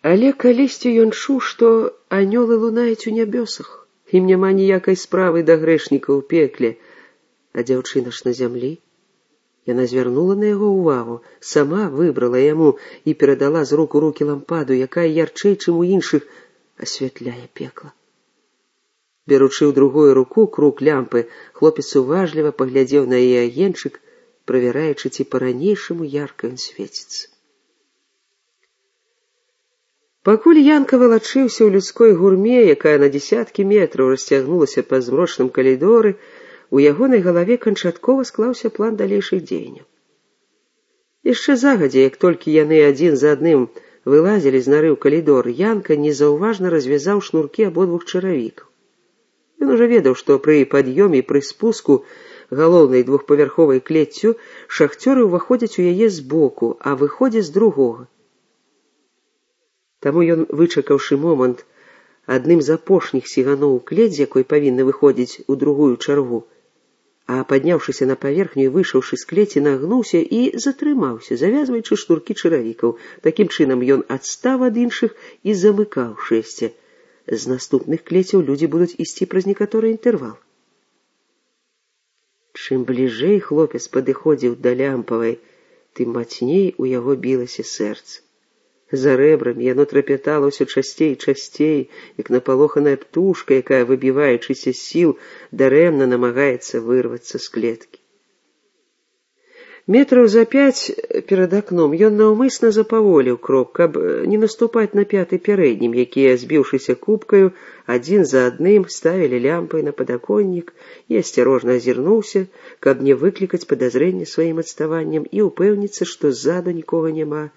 Але калісьці ён чуў, што анёлы лунаюць у нябёсах. Ім няма ніякай справы да грэшніка ў пекле. А дзяўчына ж на зямлі. Яна звярнула на яго ўвагу, сама выбрала яму і перадала з рук у рукі лампаду, якая ярчэй, чым у іншых, асвятляе пекла. Беручы ў другую руку круг лямпы, хлопец уважліва паглядзеў на яе агеньчык, правяраючы, ці па-ранейшаму ярка ён свеціцца. Пакуль Янка валачыўся ў людской гурме, якая на дзесяткі метраў расцягнулася па змрочным калідоры, у ягонай галаве канчаткова склаўся план далейшых дзеянняў. Яшчэ загадзя, як толькі яны адзін за адным вылазілі з нары ў калідор, Янка незаўважна развязаў шнуркі абодвух чаравікаў. Ён ужо ведаў, што пры пад'ёме і пры спуску галоўнай двухпавярховай клеццю шахцёры ўваходзяць у яе збоку, а выходзяць з другога. Таму ён, вычакаўшы момант, адным з апошніх сігануў у клець, з якой павінны выходзіць у другую чаргу, а падняўшыся на паверхню і выйшаўшы з клеці, нагнуўся і затрымаўся, завязваючы шнуркі чаравікаў. Такім чынам ён адстаў ад іншых і замыкаў шэсце. З наступных клецяў людзі будуць ісці праз некаторы інтэрвал. Чым бліжэй хлопец падыходзіў да лямпавай, тым мацней у яго білася сэрца. За рэбрамі яно трапятала ўсё часцей і часцей, як напалоханая птушка, якая, выбіваючыся з сіл, дарэмна намагаецца вырвацца з клеткі. Метраў за 5 перад акном ён наўмысна запаволіў крок, каб не наступаць на пяты пярэднім, якія, збіўшыся купкаю, адзін за адным ставілі лямпай на падаконнік, і асцярожна азірнуўся, каб не выклікаць падазрэнне сваім адставаннем і ўпэўніцца, што ззаду нікога няма.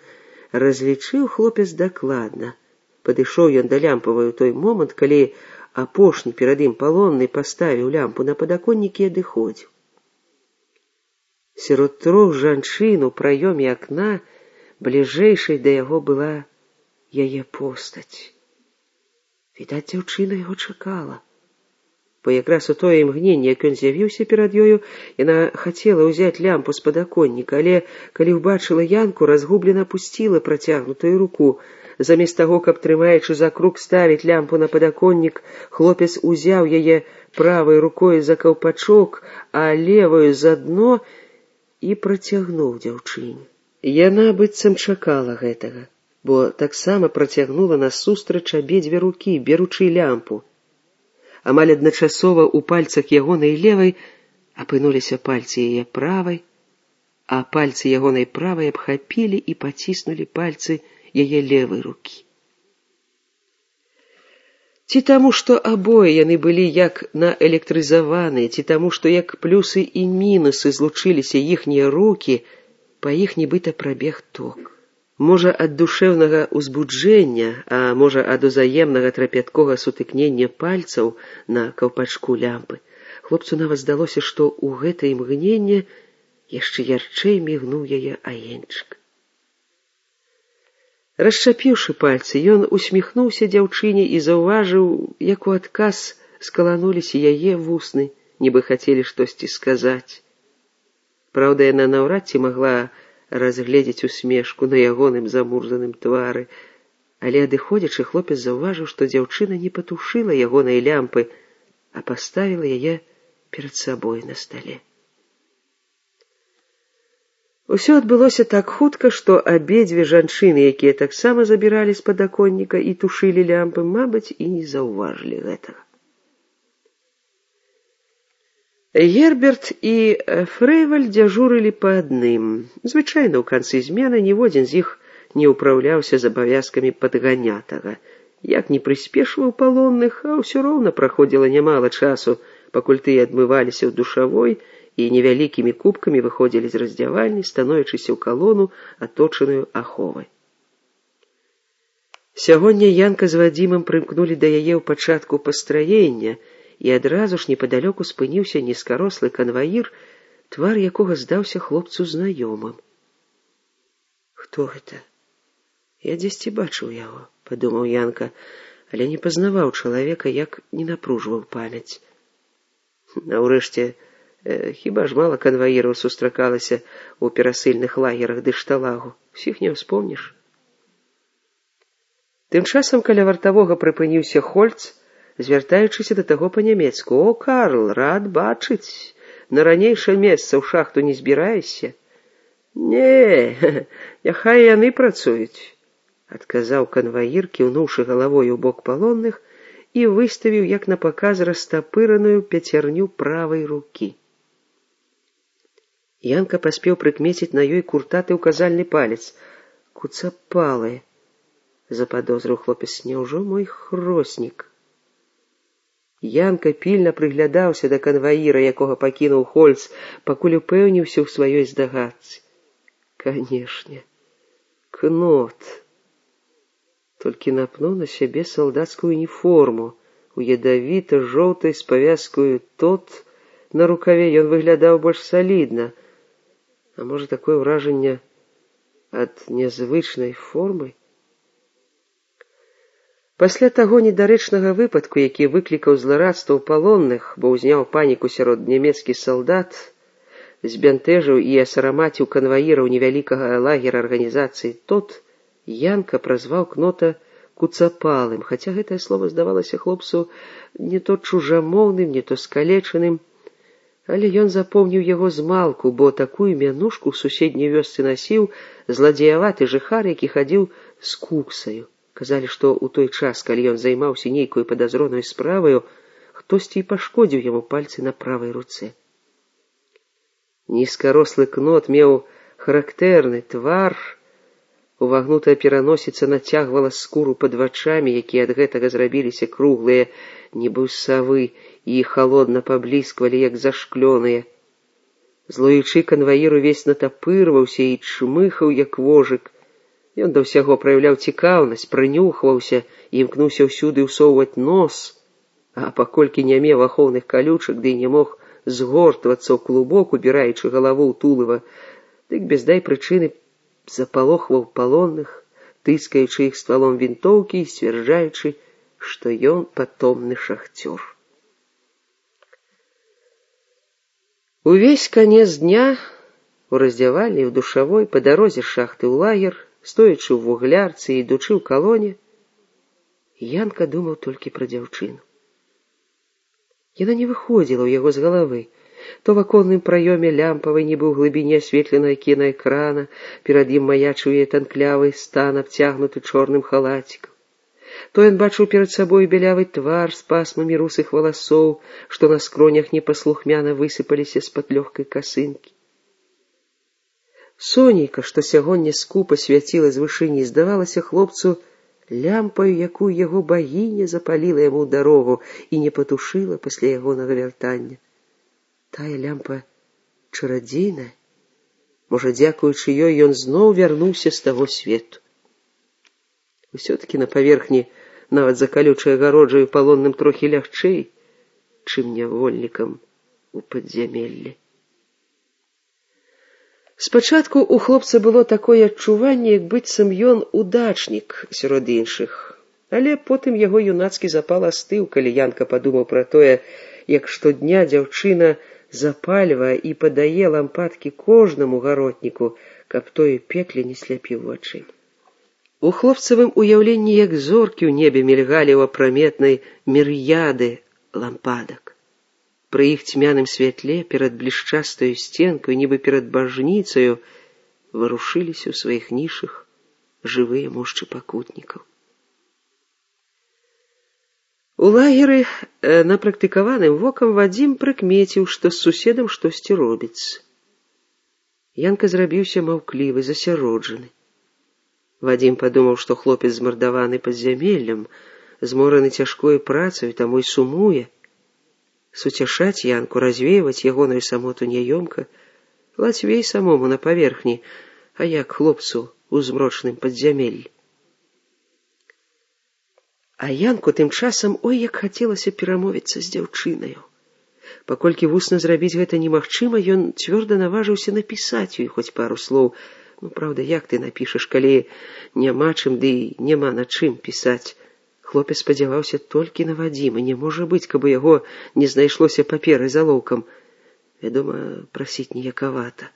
Разлічыў хлопец дакладна. Падышоў ён да лямпавай у той момант, калі апошні перад ім палонны паставіў лямпу на падаконнік і адыходзіў. Сярод 3 жанчын у праёме акна бліжэйшай да яго была яе постаць. Відаць, дзяўчына яго чакала. Бо якраз у тое імгненне, як ён з'явіўся перад ёю, яна хацела ўзяць лямпу з падаконніка, але, калі ўбачыла Янку, разгублена пусціла працягнутую руку. Замест таго, каб, трымаючы за круг, ставіць лямпу на падаконнік, хлопец узяў яе правай рукой за каўпачок, а леваю за дно і працягнуў дзяўчыне. Яна быццам чакала гэтага, бо таксама працягнула насустрач абедзве рукі, беручы лямпу. Амаль адначасова ў пальцах ягонай левай апынуліся пальцы яе правай, а пальцы ягонай правай абхапілі і паціснулі пальцы яе левай рукі. Ці таму, што абое яны былі як наэлектрызаваныя, ці таму, што як плюсы і мінусы злучыліся іхнія рукі, па іх нібыта прабег ток. Можа, ад душэўнага ўзбуджэння, а можа, ад узаемнага трапяткога сутыкнення пальцаў на каўпачку лямпы, хлопцу нават здалося, што ў гэтае імгненне яшчэ ярчэй мігнуў яе агеньчык. Расчапіўшы пальцы, ён усміхнуўся дзяўчыне і заўважыў, як у адказ скалануліся яе вусны, нібы хацелі штосьці сказаць. Праўда, яна наўрад ці магла разгледзець усмешку на ягоным замурзаным твары, але адыходзячы хлопец заўважыў, што дзяўчына не патушыла ягонай лямпы, а паставіла яе перад сабой на стале. Усё адбылося так хутка, што абедзве жанчыны, якія таксама забіралі з падаконніка і тушылі лямпы, мабыць, і не заўважылі гэтага. Герберт і Фрэйваль дзяжурылі па адным. Звычайна, ў канцы змены ніводзін з іх не ўпраўляўся з абавязкамі падганятага. Як не прыспешваў палонных, а ўсё роўна праходзіла нямала часу, пакуль тыя адмываліся ў душавой і невялікімі кубкамі выходзілі з раздзявальні, становячыся ў калону, аточаную аховай. Сягоння Янка з Вадзімам прымкнулі да яе ў пачатку пастраення, і адразу ж непадалёку спыніўся нізкарослы канваір, твар якога здаўся хлопцу знаёмым. «Хто гэта? Я дзесьці бачыў яго», — падумаў Янка, але не пазнаваў чалавека, як не напружваў памяць. Наўрэшце, хіба ж мала канваіраў сустракалася ў перасыльных лагерах ды шталагу, усіх не ўспомніш. Тым часам каля вартавога прыпыніўся Хольц, звяртаючыся да таго па-нямецку: «О, Карл, рад бачыць. На ранейшае месца ў шахту не збіраешся?» «Не, няхай яны працуюць», — адказаў канваір, кіўнуўшы галавой у бок палонных і выставіў, як на паказ, растапыраную пяцярню правай рукі. Янка паспеў прыкмеціць на ёй куртаты ўказальны палец. «Куцапалы», — западозрыў хлопец, — «няўжо мой хроснік?» Янка пільна прыглядаўся да канваіра, якога пакінуў Хольц, пакуль упэўніўся ў сваёй здагадцы. Канешне, Кнот. Толькі напнуў на сябе салдацкую уніформу, у ядавіта-жоўтай з павязкаю «Тот» на рукаве ён выглядаў больш салідна. А можа, такое ўражанне ад нязвычнай формы? Пасля таго недарэчнага выпадку, які выклікаў зларадства ў палонных, бо ўзняў паніку сярод нямецкіх салдат, збянтэжыў і асарамаціў канваіраў невялікага лагера арганізацыі «Тот», Янка празваў Кнота куцапалым, хаця гэтае слово здавалася хлопцу не то чужамоўным, не то скалечаным, але ён запомніў яго змалку, бо такую мянушку ў суседняй вёсцы насіў зладзеяваты жыхар, які хадзіў з куксаю. Казалі, што ў той час, калі ён займаўся нейкую падазроную справаю, хтосьці і пашкодзіў яму пальцы на правай руцэ. Нізкарослы Кнот меў характэрны твар, увагнутая пераносіца нацягвала скуру пад вачамі, якія ад гэтага зрабіліся круглыя, нібы ў савы, і халодна паблісквалі, як зашклёныя. Злуючы канваір увесь натапырваўся і чмыхаў, як вожык. Ён да ўсяго праяўляў цікаўнасць, прынюхваўся і імкнуўся ўсюды ўсоўваць нос, а паколькі не меў ахоўных калючак, ды не мог згортвацца ў клубок, убіраючы галаву ў тулава, дык без дай прычыны запалохваў палонных, тыскаючы іх ствалом вінтоўкі і сцвярджаючы, што ён патомны шахцёр. Увесь канец дня у раздзявальні, у душавой, па дарозе з шахты ў лагер, стоячы ў вуглярцы і ідучы ў калоне, Янка думаў толькі пра дзяўчыну. Яна не выходзіла ў яго з галавы. То в аконным праёме лямпавай, нібы ў глыбіні асветленага кінаэкрана, перад ім маячыў яе танклявы стан, абцягнуты чорным халацікам. То ён бачыў перад сабой бялявы твар з пасмамі русых валасоў, што на скронях непаслухмяна высыпаліся з-пад лёгкай касынкі. Сонейка, што сягоння скупа свяціла з вышыні, здавалася хлопцу лямпаю, якую яго багіня запаліла яму ў дарогу і не патушыла пасля ягонага вяртання. Тая лямпа чарадзейная. Можа, дзякуючы ёй ён зноў вярнуўся з таго свету. Усё-такі на паверхні, нават за калючай агароджаю, палонным трохі лягчэй, чым нявольнікам у падзямеллі. Спачатку у хлопца было такое адчуванне, як быццам ён удачнік сярод іншых, але потым яго юнацкі запал астыў, калі Янка падумаў пра тое, як штодня дзяўчына запальвае і падае лампадкі кожнаму гаротніку, каб той пекле не сляпіў вачэй. У хлопцавым уяўленні, як зоркі ў небе мільгалі ў апраметнай мір'яды лампадак. Пры іх цьмяным святле перад блішчастаю сценкаю, нібы перад бажніцаю, варушыліся ў сваіх нішах жывыя мошчы пакутнікаў. У лагеры напрактыкаваным вокам Вадзім прыкмеціў, што з суседам штосьці робіцца. Янка зрабіўся маўклівы, засяроджаны. Вадзім падумаў, што хлопец змардаваны падзямеллем, змораны цяжкою працаю, таму й сумуе. Суцяшаць Янку, развейваць ягоную самоту няёмка, лацвей самому на паверхні, а як хлопцу ў змрочным падзямеллі. А Янку тым часам ой як хацелася перамовіцца з дзяўчынаю. Паколькі вусна зрабіць гэта немагчыма, ён цвёрда наважыўся напісаць ёй хоць пару слоў. Праўда, як ты напішаш, калі няма чым, ды няма на чым пісаць. Хлопец спадзяваўся толькі на Вадзіма. Не можа быць, каб у яго не знайшлося паперы з алоўкам. Вядома, прасіць ніякавата.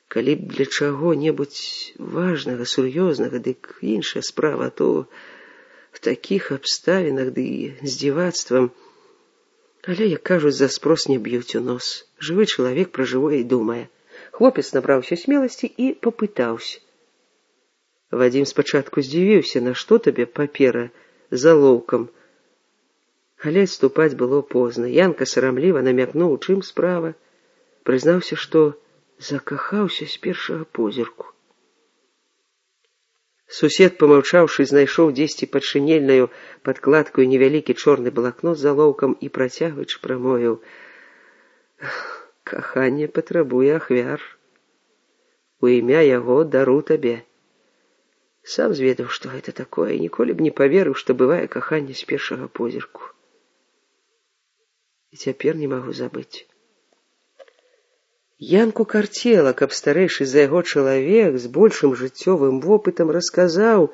Калі б для чаго-небудзь важнага, сур'ёзнага, дык іншая справа, то в такіх абставінах ды з дзівацтвам. Але, як кажуць, за спрос не б'юць у нос. Жывы чалавек пра жывое і думае. Хлопец набраўся смеласці і папытаўся. Вадзім спачатку здзівіўся, на што табе папера з алоўкам. Але адступаць было позна. Янка сарамліва намякнуў, у чым справа. Прызнаўся, што закахаўся з першага позірку. Сусед, памаўчаўшы, знайшоў дзесьці пад шинельнаю падкладкаю невялікі чорны блакнот з алоўкам і, працягваючы, прамовіў: «Каханне патрабуе ахвяр. У імя яго дару табе». Сам зведаў, што гэта такое, і ніколі б не паверыў, што бывае каханне з першага позірку. І цяпер не магу забыць. Янку карцела, каб старэйшы за яго чалавек з большым жыццёвым вопытам расказаў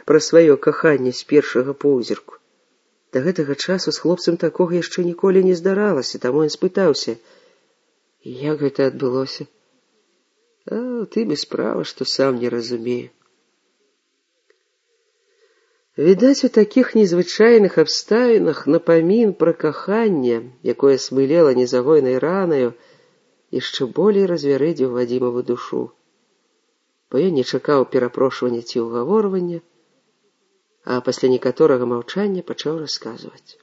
пра сваё каханне з першага позірку. Да гэтага часу з хлопцам такога яшчэ ніколі не здаралася, таму ён спытаўся: «Як гэта адбылося?» «А ты без права, што сам не разумею». Відаць, у такіх незвычайных абставінах напамін пра каханне, якое смылела незагойнай ранаю, яшчэ болей развярэдзіў Вадзімаву душу. Бо ён не чакаў перапрошвання ці ўгаворвання, а пасля некаторага маўчання пачаў расказваць.